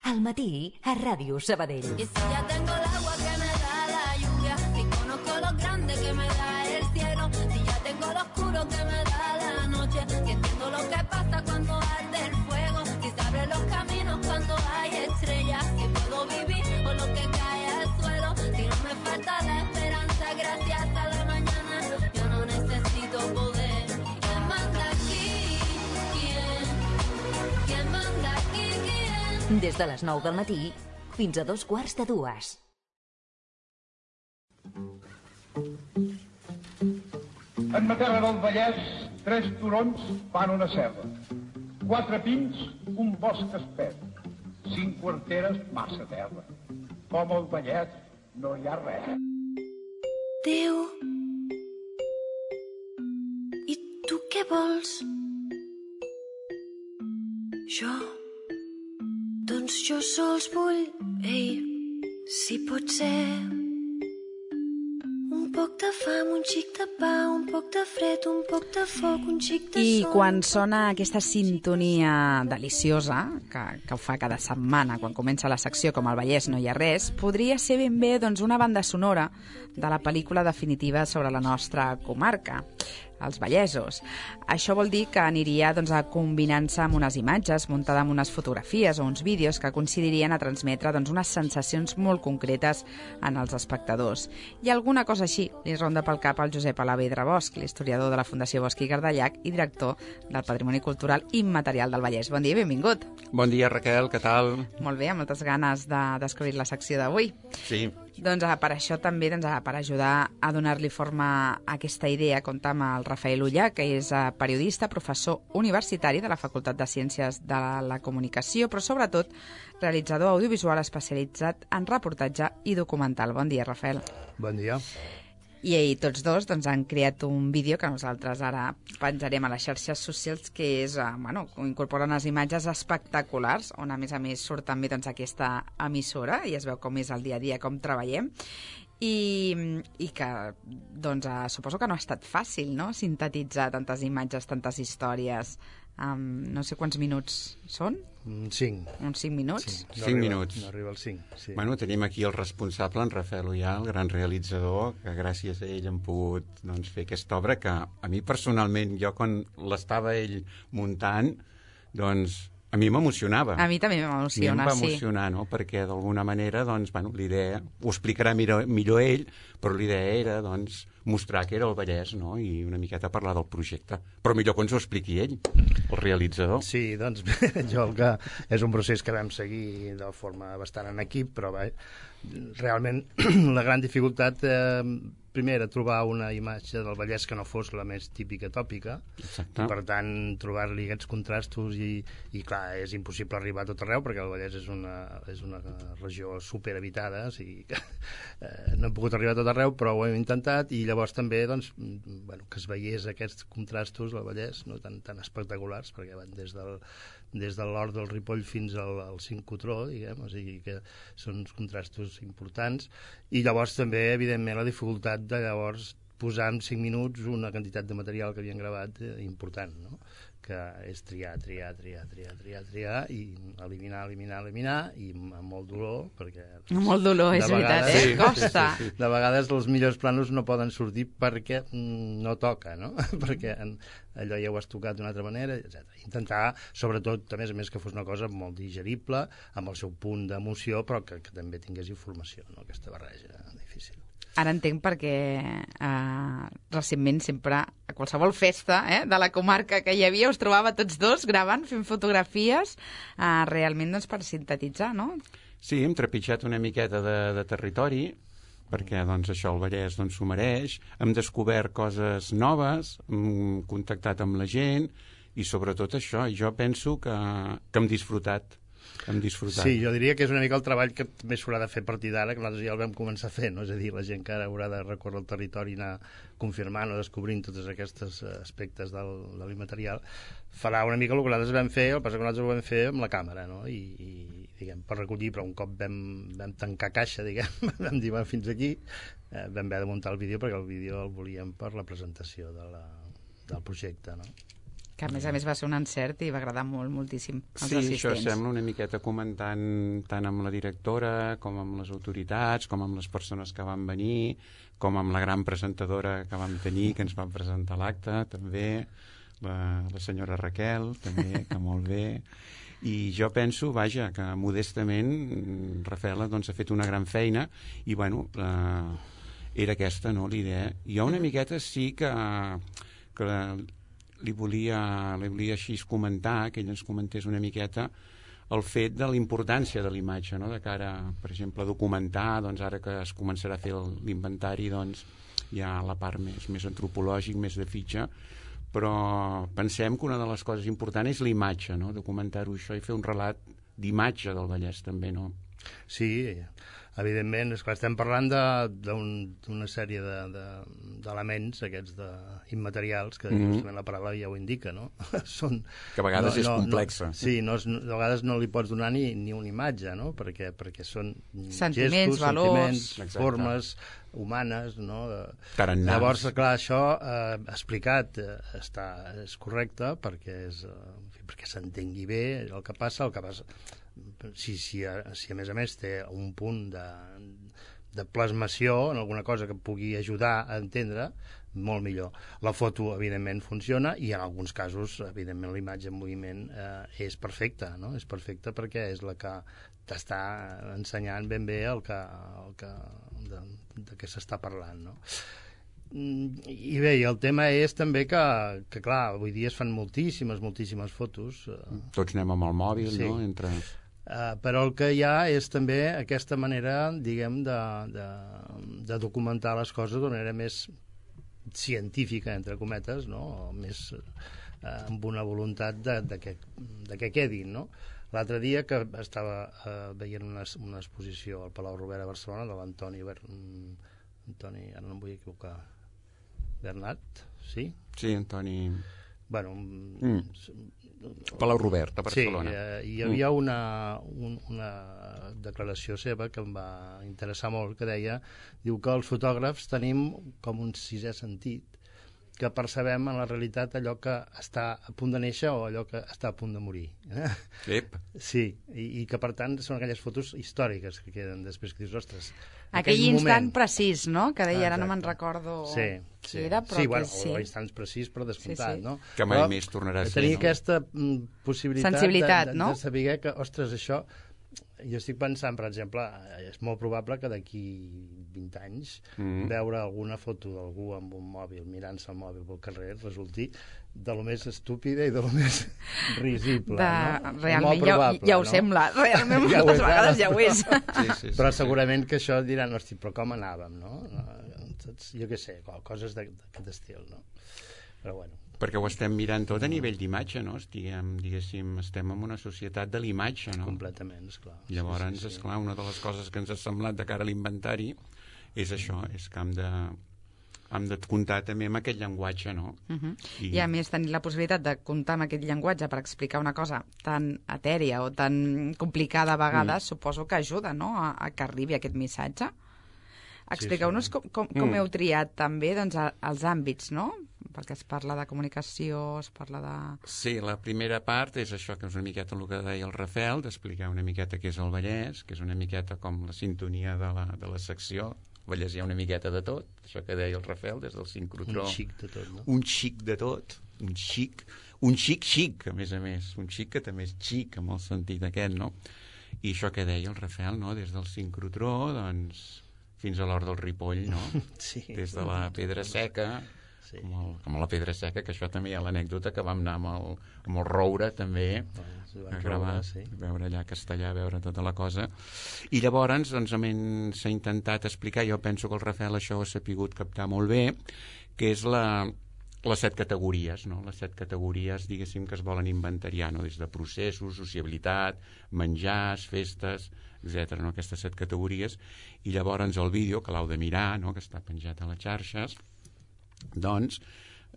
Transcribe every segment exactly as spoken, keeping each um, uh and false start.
Al matí, a Ràdio Sabadell. Y si ya tengo el agua que me da la lluvia, si conozco lo grande que me da el cielo, si ya tengo lo oscuro que me da la noche, si entiendo lo que pasa cuando arde el fuego, si se abren los caminos cuando hay estrellas, si puedo vivir con lo que cae al suelo, si no me falta la esperanza gracias a la mañana, yo no necesito poder. ¿Quién manda aquí? ¿Quién? ¿Quién manda aquí? ¿Quién? Des de les nou del matí fins a dos quarts de dues. En ma terra del Vallès, tres turons fan una serra. Quatre pins, un bosc espès. Cinc quarteres, massa terra. Com al Vallès no hi ha res. Déu, i tu què vols? Jo, doncs jo sols vull, ei, si pot ser, un poc de fam, un xic de pa, un poc de fred, un poc de foc, un xic de I sol. quan sona aquesta sintonia deliciosa, que, que ho fa cada setmana, quan comença la secció Com al Vallès no hi ha res, podria ser ben bé doncs, una banda sonora de la pel·lícula definitiva sobre la nostra comarca, els vallesos. Això vol dir que aniria doncs, a combinant-se amb unes imatges, muntada amb unes fotografies o uns vídeos que coincidirien a transmetre doncs, unes sensacions molt concretes en els espectadors. I alguna cosa així li ronda pel cap al Josep Alavedra Bosch, l'historiador de la Fundació Bosch i Gardallac i director del Patrimoni Cultural Immaterial del Vallès. Bon dia i benvingut. Bon dia, Raquel, què tal? Molt bé, amb moltes ganes de descobrir la secció d'avui. Sí. Doncs per això també, doncs, per ajudar a donar-li forma a aquesta idea, comptar amb el Rafael Ullà, que és periodista, professor universitari de la Facultat de Ciències de la Comunicació, però sobretot realitzador audiovisual especialitzat en reportatge i documental. Bon dia, Rafael. Bon dia. I, i tots dos doncs, han creat un vídeo que nosaltres ara penjarem a les xarxes socials, que és, eh, bueno, incorpora unes imatges espectaculars, on a més a més surt també doncs, aquesta emissora i es veu com és el dia a dia, com treballem, i, i que doncs, eh, suposo que no ha estat fàcil, no?, sintetitzar tantes imatges, tantes històries. Um, no sé quants minuts són? Cinc. Uns cinc minuts? Sí, no Cinc arriba, minuts. No arriba als cinc, sí. Bueno, tenim aquí el responsable, en Rafael Ullà, el gran realitzador, que gràcies a ell hem pogut doncs, fer aquesta obra que a mi personalment, jo quan l'estava ell muntant, doncs a mi m'emocionava. A mi també m'emociona, sí. A mi em va sí. emocionar, no?, perquè d'alguna manera, doncs, bueno, l'idea, ho explicarà millor, millor ell, però l'idea era, doncs, mostrar que era el Vallès, no?, i una miqueta parlar del projecte. Però millor que ens ho expliqui ell, el realitzador. Sí, doncs, jo el que és un procés que vam seguir de forma bastant en equip, però va, realment la gran dificultat, eh, primer, era trobar una imatge del Vallès que no fos la més típica tòpica. Exacte. I per tant, trobar-li aquests contrastos i, i clar, és impossible arribar a tot arreu perquè el Vallès és una, és una regió superhabitada, o sigui que eh, no hem pogut arribar a tot arreu, però ho hem intentat, i llavors també doncs, bueno, que es veiés aquests contrastos al Vallès, no?, tan, tan espectaculars, perquè van des del des de l'Hort del Ripoll fins al, al Cincrotró, diguem, o sigui que són uns contrastos importants, i llavors també, evidentment, la dificultat de llavors posar en cinc minuts una quantitat de material que havien gravat eh, important, no?, que és triar, triar, triar, triar, triar, triar, i eliminar, eliminar, eliminar, i amb molt dolor, perquè... Doncs, molt dolor, és veritat, eh? Sí, costa. Sí, sí, sí. De vegades els millors planos no poden sortir perquè mm, no toca, no? perquè en, allò ja ho has tocat d'una altra manera, etcètera. Intentar, sobretot, a més a més, que fos una cosa molt digerible, amb el seu punt d'emoció, però que, que també tingués informació, no?, aquesta barreja difícil. Ara entenc perquè eh, recentment sempre a qualsevol festa eh, de la comarca que hi havia us trobava tots dos gravant, fent fotografies, eh, realment doncs, per sintetitzar, no? Sí, hem trepitjat una miqueta de, de territori, perquè doncs, això el Vallès doncs, s'ho mereix, hem descobert coses noves, hem contactat amb la gent, i sobretot això, jo penso que, que hem disfrutat. Hem disfrutat. Sí, jo diria que és una mica el treball que també s'haurà de fer a partir d'ara, que nosaltres ja el vam començar a fer, no? És a dir, la gent que ara haurà de recórrer el territori i anar confirmant o descobrint tots aquests aspectes del, de l'immaterial, farà una mica el que nosaltres vam fer, el que passa que nosaltres ho vam fer amb la càmera, no?, i, i diguem, per recollir, però un cop vam, vam tancar caixa, diguem, vam dir, va, fins aquí, eh, vam haver de muntar el vídeo, perquè el vídeo el volíem per la presentació de la, del projecte, no? Que a més a més va ser un encert i va agradar molt, moltíssim als sí, assistents. Això sembla una miqueta comentant tant amb la directora com amb les autoritats, com amb les persones que van venir, com amb la gran presentadora que vam tenir, que ens van presentar l'acte, també, la, la senyora Raquel, també, que molt bé. I jo penso, vaja, que modestament Rafaela doncs, ha fet una gran feina i, bueno, eh, era aquesta, no?, l'idea. Jo una miqueta sí que, que li volia, li volia així comentar, que ell ens comentés una miqueta el fet de la importància de la imatge, no?, de cara, per exemple, a documentar, doncs ara que es començarà a fer l'inventari, doncs hi ha la part més, més antropològic, més de fitxa, però pensem que una de les coses importants és la imatge, no?, documentar-ho això i fer un relat d'imatge del Vallès també, no? Sí, evidentment, esclar, estem parlant d'una un, sèrie d'elements, de, de, aquests de, immaterials, que mm-hmm. justament la paraula ja ho indica, no? Són, que a vegades no, és no, complexa. No, sí, no, a vegades no li pots donar ni, ni una imatge, no? Perquè, perquè són sentiments, gestos, valors, sentiments, formes humanes, no? Tarannars. Llavors, clar, això eh, explicat eh, està, és correcte perquè és, eh, perquè s'entengui bé el que passa, el que passa... Si, si, a, si a més a més té un punt de, de plasmació en alguna cosa que pugui ajudar a entendre, molt millor. La foto, evidentment, funciona i en alguns casos, evidentment, la imatge en moviment eh, és perfecta, no? És perfecta perquè és la que t'està ensenyant ben bé el que, el que, de, de què s'està parlant, no? I bé, i el tema és també que, que clar, avui dia es fan moltíssimes, moltíssimes fotos. Tots anem amb el mòbil, sí. No? Entre... Uh, però el que hi ha és també aquesta manera, diguem, de, de, de documentar les coses d'una manera més científica, entre cometes, no? Més uh, amb una voluntat de, de, que, de que quedin, no? L'altre dia que estava uh, veient una, una exposició al Palau Robert a Barcelona de l'Antoni Ber... Antoni, ara no em vull equivocar, Bernat, sí? Sí, Antoni... Bueno, mm. Palau Robert, a Barcelona. Sí, eh, hi havia una, un, una declaració seva que em va interessar molt, que deia, diu que els fotògrafs tenim com un sisè sentit, que percebem en la realitat allò que està a punt de néixer o allò que està a punt de morir. Ep. Sí, i, i que per tant són aquelles fotos històriques que queden després, que dius, ostres... Aquell instant moment... precís, no?, que deia, ara no me'n recordo sí, qui sí. era, però sí, que bueno, sí. o instants precís, però descomptat, sí, sí. no? Que mai però, més tornarà a ser, tenir no? aquesta mm, possibilitat sensibilitat, de, de, no? de saber que, ostres, això... Jo estic pensant, per exemple, és molt probable que d'aquí vint anys mm. veure alguna foto d'algú amb un mòbil, mirant-se el mòbil pel carrer, resulti de lo més estúpida i de lo més risible. De... No? Realment probable, ja, ja ho no? sembla, realment ja moltes és, vegades ja ho és. Sí, sí, sí, però sí, segurament sí. Que això diran, hosti, però com anàvem, no? Jo què sé, coses d'aquest estil, no? Però bueno. Perquè ho estem mirant tot a nivell d'imatge, no? Estiguem, diguéssim, estem en una societat de l'imatge, no? Completament, esclar. Llavors, sí, sí, sí. esclar, una de les coses que ens ha semblat de cara a l'inventari és això, és que hem de, hem de comptar també amb aquest llenguatge, no? Uh-huh. I... I a més tenir la possibilitat de comptar amb aquest llenguatge per explicar una cosa tan etèria o tan complicada a vegades, mm. suposo que ajuda, no?, a, a que arribi aquest missatge. Expliqueu-nos sí, sí. com, com, com mm. heu triat també doncs, els àmbits, no?, perquè es parla de comunicació, es parla de... Sí, la primera part és això, que és una miqueta el que deia el Rafael, d'explicar una miqueta què és el Vallès, que és una miqueta com la sintonia de la, de la secció. Al Vallès hi ha una miqueta de tot, això que deia el Rafael, des del sincrotró. Un xic de tot, no? Un xic de tot, un xic, un xic-xic, a més a més, un xic que també és xic, amb el sentit aquest, no? I això que deia el Rafael, no?, des del sincrotró, doncs, fins a l'hort del Ripoll, no? Sí. Des de la Pedra Seca... Sí. Com, el, com la Pedra Seca, que això també hi ha l'anècdota que vam anar amb el, amb el Roure també sí, a gravar, sí. a veure allà a Castellà, a veure tota la cosa, i llavors doncs, s'ha intentat explicar, jo penso que el Rafael això ho ha sapigut captar molt bé, que és la, les set categories, no? Les set categories, diguéssim, que es volen inventariar, no? Des de processos, sociabilitat, menjars, festes, etcètera, no? Aquestes set categories, i llavors el vídeo, que l'heu de mirar, no?, que està penjat a les xarxes, doncs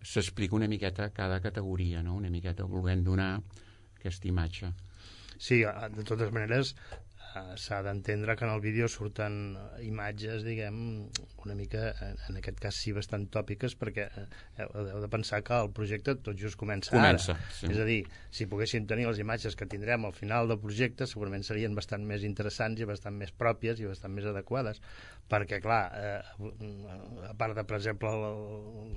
s'explica una miqueta cada categoria, no?, una miqueta volent donar aquesta imatge. Sí, de totes maneres, uh, s'ha d'entendre que en el vídeo surten imatges, diguem, una mica, en aquest cas sí, bastant tòpiques, perquè heu, heu de pensar que el projecte tot just comença, comença ara. sí. És a dir, si poguéssim tenir les imatges que tindrem al final del projecte, segurament serien bastant més interessants i bastant més pròpies i bastant més adequades, perquè, clar, eh, a part de, per exemple,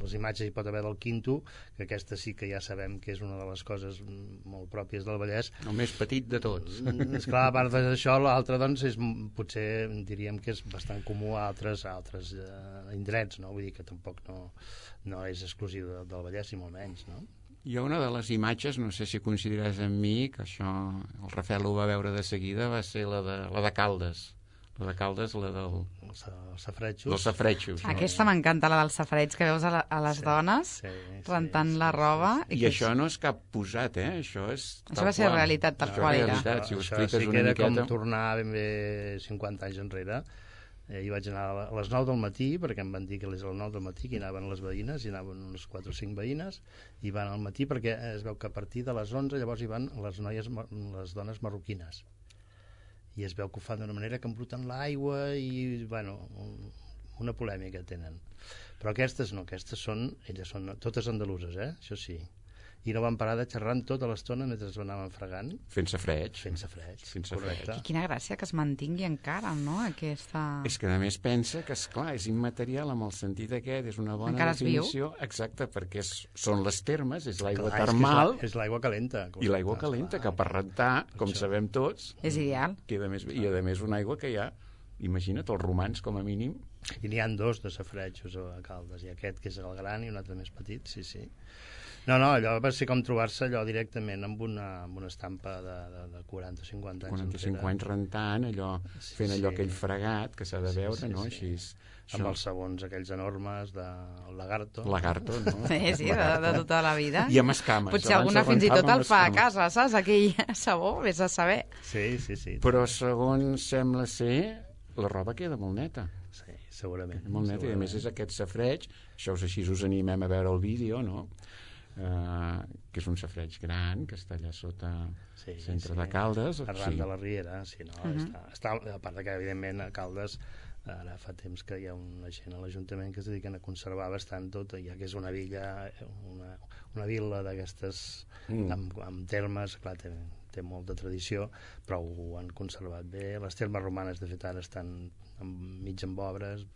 les imatges hi pot haver del Quinto, que aquesta sí que ja sabem que és una de les coses molt pròpies del Vallès. El més petit de tots. És clar, a part d'això, l'altre, doncs, és, potser diríem que és bastant comú a altres, a altres eh, indrets, no? Vull dir que tampoc no, no és exclusiu de, del Vallès, i molt menys, no? Hi ha una de les imatges, no sé si coincidiràs amb mi, que això el Rafael ho va veure de seguida, va ser la de, la de Caldes. La de Caldes, la del... Els, els safretxos. Dels safretxos. Aquesta m'encanta, la dels safareig, que veus a, la, a les Sí, dones sí, rentant sí, la sí, roba. I que això no és cap posat, eh? Això és Això tal va ser qual. realitat tal Això qual és era. realitat, si ho Això expliques sí que una era miqueta... com tornar ben bé cinquanta anys enrere. Eh, hi vaig anar a les nou del matí, perquè em van dir que a les nou del matí que hi anaven les veïnes, hi anaven unes quatre o cinc veïnes, i van al matí perquè es veu que a partir de les onze llavors hi van les noies, les dones marroquines. I es veu que ho fan d'una manera que embruten l'aigua i, bueno, una polèmica tenen. Però aquestes no, aquestes són, elles són totes andaluses, eh? Això sí. I no van parar de xerrar tota l'estona mentre es anaven fregant. Fent safreig. Fent safreig, Fent correcte. safreig. I quina gràcia que es mantingui encara, no?, aquesta... És que a més pensa que, esclar, és immaterial amb el sentit aquest, és una bona Encara es viu. definició. Exacte, perquè és, són les termes, és l'aigua Clar, termal és l'aigua calenta. i l'aigua calenta, que per rentar, com Això. sabem tots, És ideal. queda més bé. I a més una aigua que hi ha, imagina't, els romans com a mínim. I n'hi ha dos de safretxos a Caldes, i aquest que és el gran i un altre més petit, sí, sí. No, no, allò va ser com trobar-se allò directament amb una, amb una estampa de, de, de quaranta o cinquanta anys. quaranta o cinquanta anys rentant, allò, Sí, fent allò sí. aquell fregat que s'ha de Sí, veure, sí, no? sí. Així, Amb això, els sabons aquells enormes de el lagarto. lagarto, no? Sí, sí, de, de tota la vida. I amb escames. Potser Abans alguna es fins i tot rentava el amb fa a escames. casa, saps? Aquell sabó, vés a saber. Sí, sí, sí. Però segons sembla ser, la roba queda molt neta. Sí, segurament. Molt neta, i a més és aquest safreig, això us, així us animem a veure el vídeo, no? Uh, que és un safreig gran, que està allà sota Sí, centre sí. de Caldes. Arran sí. de la Riera, sí, no? Mhm. està, està, a part de que, evidentment, a Caldes ara fa temps que hi ha una gent a l'Ajuntament que es dediquen a conservar bastant tot, ja que és una villa, una, una vila d'aquestes Mm. amb, amb termes, clar, té, té molta tradició, però ho han conservat bé. Les termes romanes, de fet, ara estan amb, mig amb obres,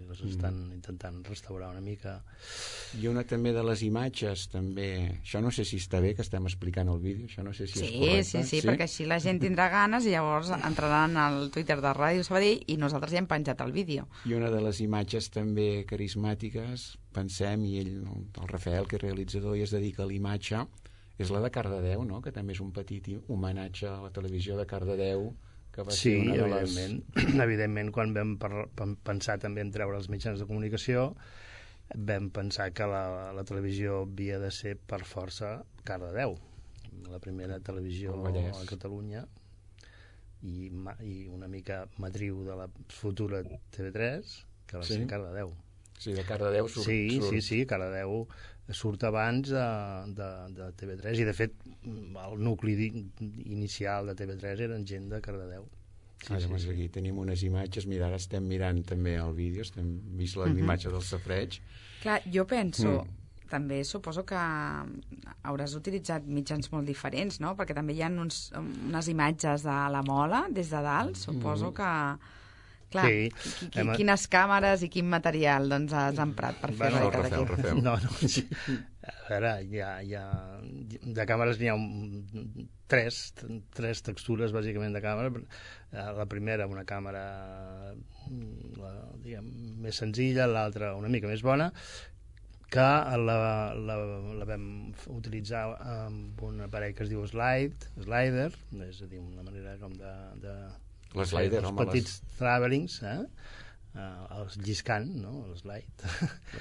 les estan Mm. intentant restaurar una mica. Hi ha una també de les imatges, també, això no sé si està bé que estem explicant el vídeo, això no sé si Sí, és correcte. sí, sí, perquè així la gent tindrà ganes i llavors entraran al Twitter de Ràdio Sabadell i nosaltres ja hem penjat el vídeo. I una de les imatges també carismàtiques, pensem, i ell, el Rafael, que és realitzador i es dedica a l'imatge, és la de Cardedeu, no? Que també és un petit homenatge a la televisió de Cardedeu, que va Sí, ser una de les... evidentment. Evidentment, quan vam par pensar també en treure els mitjans de comunicació, vam pensar que la, la televisió havia de ser per força Cardedeu, la primera televisió El Vallès. a Catalunya, i, ma- i una mica matriu de la futura T V tres, que va Sí. ser Cardedeu. Sí, de Cardedeu surt. Sí, surt. sí, sí, Cardedeu surt abans de, de, de T V tres, i de fet el nucli di- inicial de T V tres eren gent de Cardedeu. Sí, ah, sí, sí. Aquí tenim unes imatges, mira, ara estem mirant també el vídeo, estem vist la Mhm. imatge del safreig. Clar, jo penso, Mm. també suposo que hauràs utilitzat mitjans molt diferents, no? Perquè també hi ha uns, unes imatges de la mola des de dalt, suposo que... Clar, Sí, qui, qui, hem- quines càmeres i quin material doncs, has emprat per fer Bueno, bueno, Rafael, aquí? Rafael. No, no, sí. A veure, hi ha, hi ha, de càmeres n'hi ha un, tres, tres textures bàsicament de càmera. Eh, La primera una càmera la, diguem, més senzilla, l'altra una mica més bona, que la, la, la vam utilitzar amb un aparell que es diu Slide, Slider, és a dir, una manera com de... de L'Slider, els home, petits travelings, eh? Uh, els lliscant, no? El slide.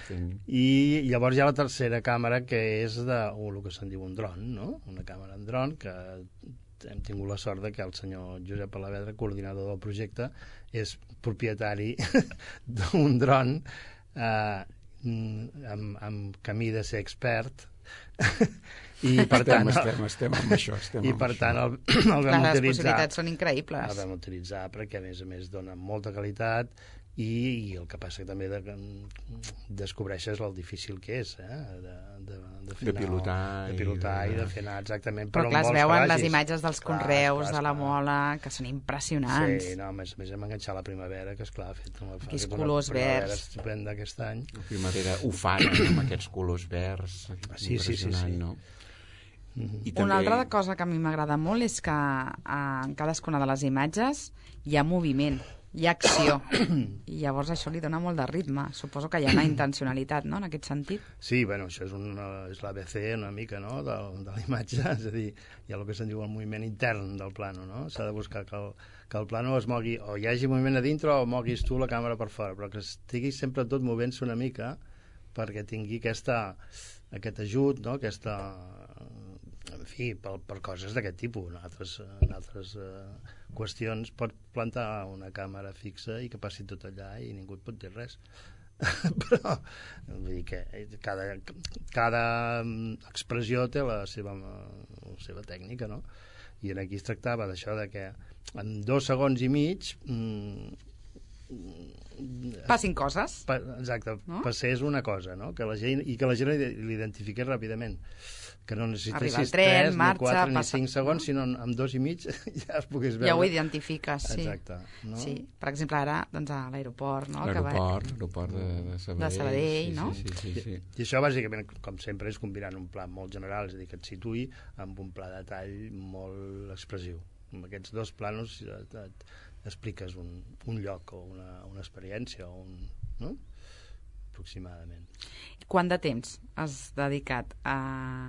les... I llavors hi ha la tercera càmera, que és de, o el que se'n diu un dron, no? Una càmera en dron, que hem tingut la sort de que el senyor Josep Alavedra, coordinador del projecte, és propietari d'un dron eh, amb, amb camí de ser expert I per tant, estem, estem, estem amb això. Estem I amb per això. tant el, el vam Clar, les utilitzar. possibilitats són increïbles. El vam utilitzar perquè, a més a més, dona molta qualitat i, i el que passa que també de, descobreixes el difícil que és, eh? de, de, de, de pilotar, de pilotar i de, i de... i de fer anar exactament Però per clar, on es vols veuen que les vagis. imatges dels Clar, conreus, clar, de la clar. mola, que són impressionants. Sí, no, a més a més hem enganxat la primavera, que esclar, ha fet una, Aquells ha fet colors una primavera verds. estupenda aquest any. La primavera ufana, amb aquests colors verds. Sí, sí, sí, sí. No? Mm-hmm. I Una altra cosa que a mi m'agrada molt és que eh, en cadascuna de les imatges hi ha moviment, hi ha acció, i llavors això li dona molt de ritme. Suposo que hi ha una intencionalitat, no?, en aquest sentit. Sí, bueno, això és, una, és l'A B C una mica, no?, de, de la imatge, és a dir, hi ha el que se'n diu el moviment intern del plano, no? S'ha de buscar que el, que el plano es mogui, o hi hagi moviment a dintre o moguis tu la càmera per fora, però que estigui sempre tot movent-se una mica perquè tingui aquesta, aquest ajut, no?, aquesta... en fi, per, per coses d'aquest tipus. En altres, en altres uh, qüestions pot plantar una càmera fixa i que passi tot allà i ningú et pot dir res. Però vull dir que cada, cada expressió té la seva, la seva tècnica, no? I aquí es tractava d'això, de que en dos segons i mig mm, passin coses. Pa, exacte, no? Passés una cosa, no? Que la gent, i que la gent l'identifiqués ràpidament. Que no necessitessis tres, ni quatre, ni cinc segons, sinó amb dos i mig ja es pogués veure. Ja ho identifiques, sí. Exacte. No? Sí, per exemple, ara, doncs, a l'aeroport, no? L'aeroport, l'aeroport de, de Sabadell. De Sabadell, no? Sí, sí, sí, sí. I, I això, bàsicament, com sempre, és combinant un pla molt general, és a dir, que et situï amb un pla de tall molt expressiu. Amb aquests dos planos et, et expliques un, un lloc o una, una experiència o un... no? Aproximadament. Quant de temps has dedicat a,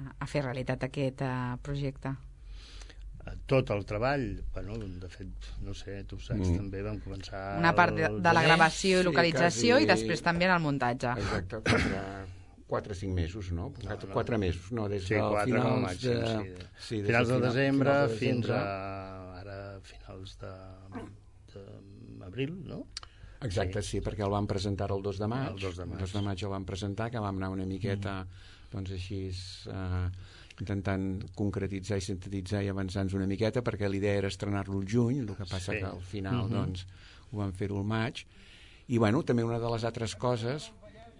a fer realitat aquest uh, projecte? Tot el treball, bueno, de fet, no sé, tu saps, mm. també vam començar... Una part de, de la gravació i localització, sí, quasi... i després també en el muntatge. Exacte, quatre, quatre o cinc mesos, no? Quatre, no, no. quatre mesos, no? Des sí, del quatre, finals màxim, de... Sí, de... Sí, des finals de, de desembre finals de fins desembre. a ara finals de, de abril, no? Exacte, sí. sí, perquè el vam presentar el dos de maig. El dos de maig. El dos de maig el vam presentar, que vam anar una miqueta, mm. doncs així, eh, intentant concretitzar i sintetitzar i avançar-nos una miqueta, perquè l'idea era estrenar-lo al juny, el que passa sí. que al final, mm-hmm. doncs, ho vam fer-ho al maig. I, bueno, també una de les altres coses,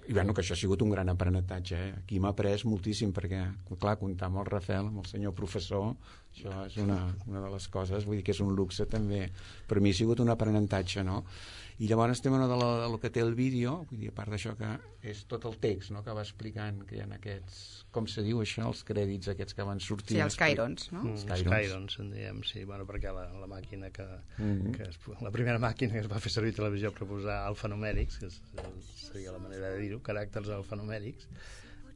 i, bueno, que això ha sigut un gran aprenentatge, eh? Aquí m'ha après moltíssim, perquè, clar, comptar amb el Rafel, amb el senyor professor, això és una, una de les coses, vull dir que és un luxe també. Per mi ha sigut un aprenentatge, no? I llavors estem en el, el que té el vídeo, vull dir, a part d'això que és tot el text, no?, que va explicant que hi ha aquests, com se diu això, els crèdits aquests que van sortir. Sí, els cairons, no? Mm, els cairons. cairons, en diem, sí, bueno, perquè la, la màquina que, mm-hmm. que es, la primera màquina que es va fer servir a televisió per posar alfanumèrics, que és, seria la manera de dir-ho, caràcters alfanumèrics,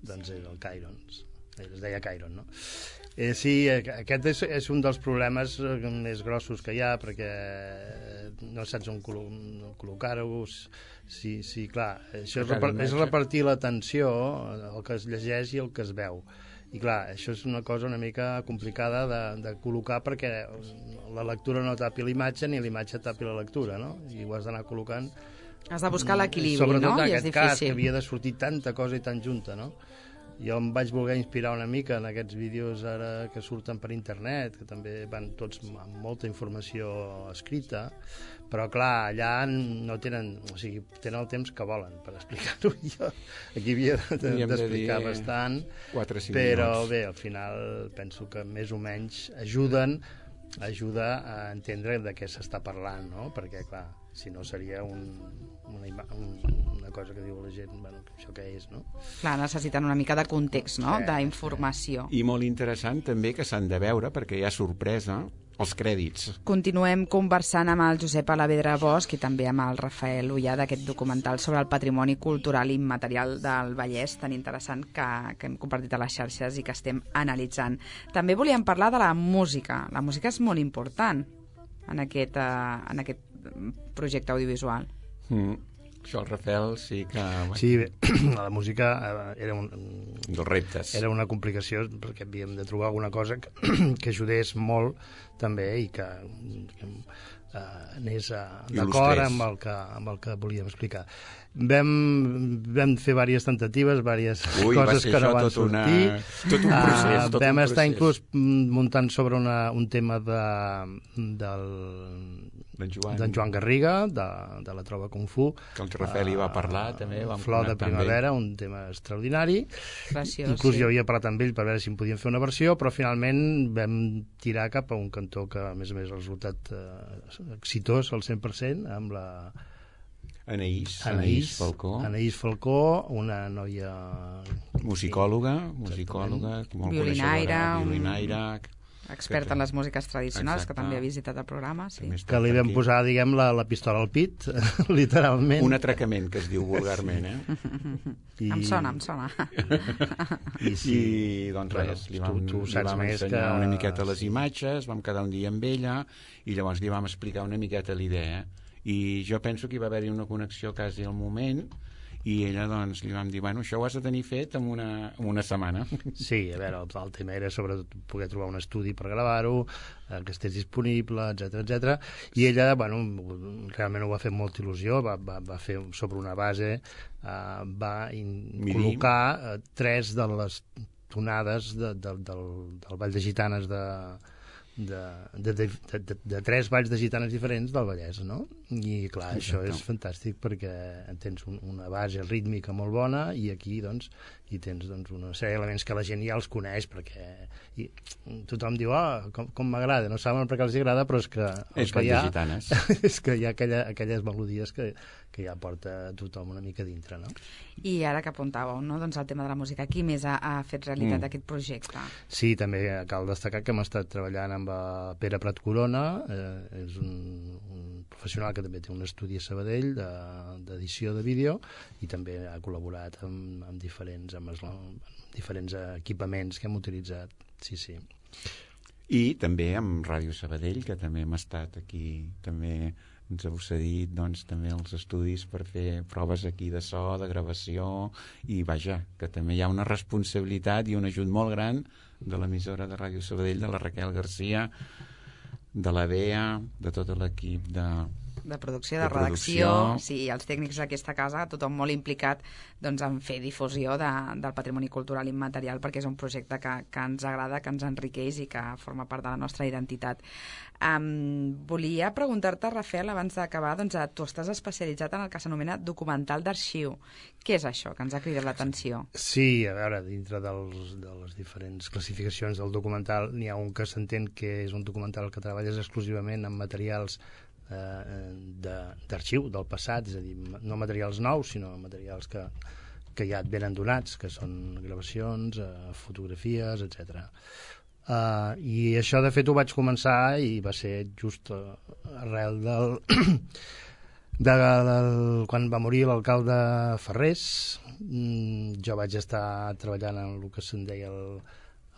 doncs és el cairons. Es deia Cairon, no? Eh, sí, aquest és, és un dels problemes més grossos que hi ha, perquè no saps on col·locar-ho. Sí, sí, clar, això és, repar és repartir l'atenció, el que es llegeix i el que es veu. I clar, això és una cosa una mica complicada de, de col·locar, perquè la lectura no tapi l'imatge ni l'imatge tapi la lectura, no? I ho has d'anar col·locant. Has de buscar l'equilibri, no? Sobretot en I és aquest difícil. cas, que havia de sortir tanta cosa i tan junta, no? Jo em vaig voler inspirar una mica en aquests vídeos ara que surten per internet, que també van tots amb molta informació escrita, però clar, allà no tenen, o sigui, tenen el temps que volen per explicar-ho. Jo aquí havia d'explicar de, bastant, però minuts. Bé, al final penso que més o menys ajuden ajuda a entendre de què s'està parlant, no? Perquè clar, si no seria un, una, un, una cosa que diu la gent, bueno, això què és, no? Clar, necessiten una mica de context, no? Sí, d'informació. I molt interessant també que s'han de veure, perquè hi ha sorpresa, els crèdits. Continuem conversant amb el Josep Alavedra Bosch i també amb el Rafael Ullà d'aquest documental sobre el patrimoni cultural immaterial del Vallès, tan interessant que, que hem compartit a les xarxes i que estem analitzant. També volíem parlar de la música. La música és molt important en aquest, uh, en aquest projecte audiovisual. Mm. Això el Rafael sí que... Sí, bé, la música era un... dels reptes. Era una complicació perquè havíem de trobar alguna cosa que, que ajudés molt també i que, que eh, anés a- d'acord amb el, que, amb el que volíem explicar. Vam, vam fer diverses tentatives, diverses Ui, va coses ser que no això van tot una- sortir. tot un procés, Ah, tot vam un estar procés. inclús mm, muntant sobre una, un tema de, del, D'en Joan. d'en Joan Garriga, de, de la Trova Kung Fu. Que el Rafel hi va parlar, també, vam Flor de connectar amb ell. primavera, un tema extraordinari. Preciós, Inclús sí. jo havia parlat amb ell per veure si en podíem fer una versió, però finalment vam tirar cap a un cantó que, a més a més, ha resultat eh, exitós al cent per cent, amb la Anaïs, Anaïs Anaïs Falcó, Anaïs Falcó, una noia... musicòloga, musicòloga, molt Violinaire, coneixedora, un- violinaire, Expert en les músiques tradicionals, Exacte. que també ha visitat el programa, sí. també està que li per vam aquí. posar, diguem, la, la pistola al pit, literalment. Un atracament, que es diu vulgarment, eh? I... Em sona, em sona. I sí, I doncs Bueno, res, li tu- vam, tu li saps vam més ensenyar que- una miqueta les sí. imatges, vam quedar un dia amb ella i llavors li vam explicar una miqueta la idea. I jo penso que hi va haver-hi una connexió quasi al moment i ella doncs li vam dir, bueno, això ho has de tenir fet en una, en una setmana. Sí, a veure, el, el tema era sobretot poder trobar un estudi per gravar-ho, eh, que estés disponible, etcètera, etcètera. I ella, bueno, realment ho va fer amb molta il·lusió, va, va, va fer sobre una base, eh, va in, Miri. col·locar eh, tres de les tonades de, de, del, del Ball de Gitanes de, de, de, de, de, de, de tres balls de gitanes diferents del Vallès, no? I clar, Exacte. això és fantàstic perquè tens un, una base rítmica molt bona i aquí doncs hi tens doncs, una sèrie d'elements que la gent ja els coneix perquè i, tothom diu, ah, com, com m'agrada, no saben per què els agrada, però és que el És que Ball hi de ha Gitanes. és que hi ha aquella, aquelles melodies que, que ja porta tothom una mica dintre, no? I ara que apuntàveu, no? Doncs el tema de la música, qui més ha, ha fet realitat Mm. aquest projecte? Sí, també cal destacar que hem estat treballant amb eh, Pere Prat Corona, eh, és un, un professional que també té un estudi a Sabadell de- d'edició de, de vídeo i també ha col·laborat amb, amb, diferents, amb, els, amb diferents equipaments que hem utilitzat. Sí, sí. I també amb Ràdio Sabadell, que també hem estat aquí, també ens heu cedit doncs, també els estudis per fer proves aquí de so, de gravació, i vaja, que també hi ha una responsabilitat i un ajut molt gran de l'emissora de Ràdio Sabadell, de la Raquel Garcia, de la Bea, de tot l'equip de... De producció, de, De redacció, producció. sí, els tècnics d'aquesta casa, tothom molt implicat doncs, en fer difusió de, del patrimoni cultural immaterial, perquè és un projecte que, que ens agrada, que ens enriqueix i que forma part de la nostra identitat. Um, volia preguntar-te, Rafel, abans d'acabar, doncs, eh, tu estàs especialitzat en el que s'anomena documental d'arxiu. Què és això que ens ha cridat l'atenció? Sí, a veure, dintre dels, de les diferents classificacions del documental n'hi ha un que s'entén que és un documental que treballes exclusivament amb materials eh, de- d'arxiu del passat, és a dir, no materials nous, sinó materials que, que ja et venen donats, que són gravacions, eh, fotografies, etcètera. Uh, I això, de fet, ho vaig començar i va ser just uh, arrel del... de, del, quan va morir l'alcalde Ferrés. Mm, jo vaig estar treballant en el que se'n deia el,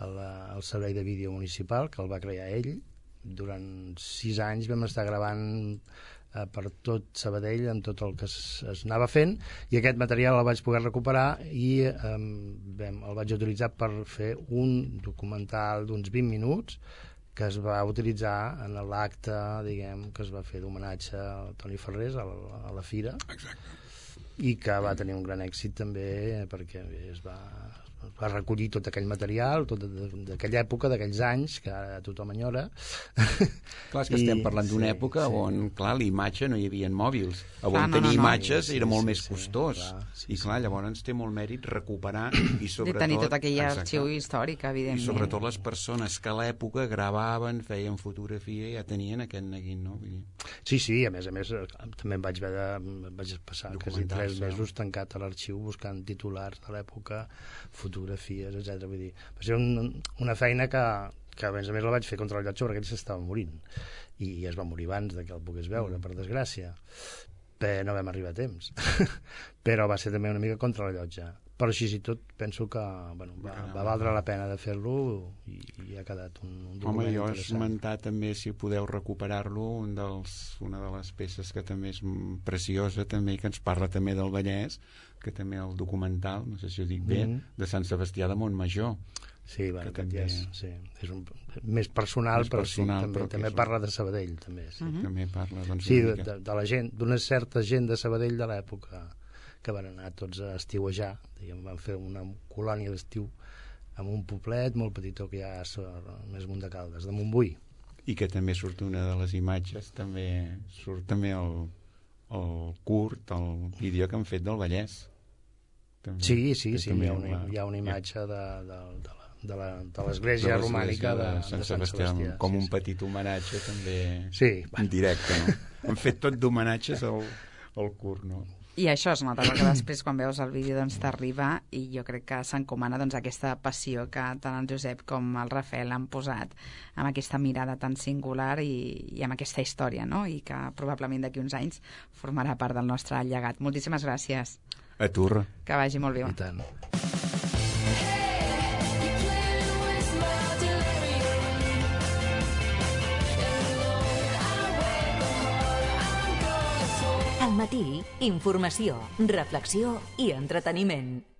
el, el servei de vídeo municipal, que el va crear ell. Durant sis anys vam estar gravant eh, per tot Sabadell amb tot el que es, es anava fent, i aquest material el vaig poder recuperar i eh, vam, el vaig utilitzar per fer un documental d'uns vint minuts que es va utilitzar en l'acte, diguem, que es va fer d'homenatge a Toni Ferrés a la, a la Fira. Exacte. I que va tenir un gran èxit també perquè es va, es va recollir tot aquell material, tot d'aquella època, d'aquells anys, que ara tothom enyora. Clar, és que I- estem parlant d'una sí, època sí. on, clar, l'imatge no hi havia mòbils. On Clar, no, tenir no, no. imatges Sí, era molt sí, més sí, costós. clar, sí, I, clar, sí. llavors té molt mèrit recuperar i, De sobretot... tenir tot aquell Exacte. arxiu històric, evidentment. I sobretot les persones que a l'època gravaven, feien fotografia i ja tenien aquest neguit, no? Vull dir, Sí, sí, a més a més, eh, també em vaig haver de, em vaig passar quasi tres Documentar-se. mesos tancat a l'arxiu buscant titulars de l'època, fotografies, etcètera. Vull dir, va ser un, una feina que, que a més a més la vaig fer contra el llotge perquè ell s'estava morint i es va morir abans de que el pogués veure, per desgràcia. Però no vam arribar a temps. Però va ser també una mica contra la llotja. però així i tot penso que bueno, va, va valdre la pena de fer-lo i, i ha quedat un, un document Home, jo he interessant. esmentat també, si podeu recuperar-lo, un dels, una de les peces que també és preciosa també, que ens parla també del Vallès, que també el documental, no sé si ho dic bé, mm. de Sant Sebastià de Montmajor. Sí, bueno, que també, també és, sí, és un, més personal, més però personal, sí, també, però també és parla de Sabadell, també. Sí, mm-hmm. També parla, doncs, sí de, de, de la gent, d'una certa gent de Sabadell de l'època que van anar tots a estiuejar, diguem, van fer una colònia d'estiu en un poblet molt petitó que hi ha més amunt de Caldes, de Montbui. I que també surt una de les imatges, també surt també el, el curt, el vídeo que han fet del Vallès. També, sí, sí, sí, hi ha, una, la... hi ha una imatge de, de, de, de la de l'església romànica de, de, Sant, de Sant Sebastià, Sebastià com sí, un sí. petit homenatge també sí, en directe, no? Han fet tot d'homenatges al, al curt, no? I això es nota, perquè després quan veus el vídeo doncs t'arriba, i jo crec que s'encomana doncs aquesta passió que tant el Josep com el Rafael han posat amb aquesta mirada tan singular i, i amb aquesta història, no? I que probablement d'aquí uns anys formarà part del nostre llegat. Moltíssimes gràcies. A tu. Que vagi molt bé. I tant. Al matí, informació, reflexió i entreteniment.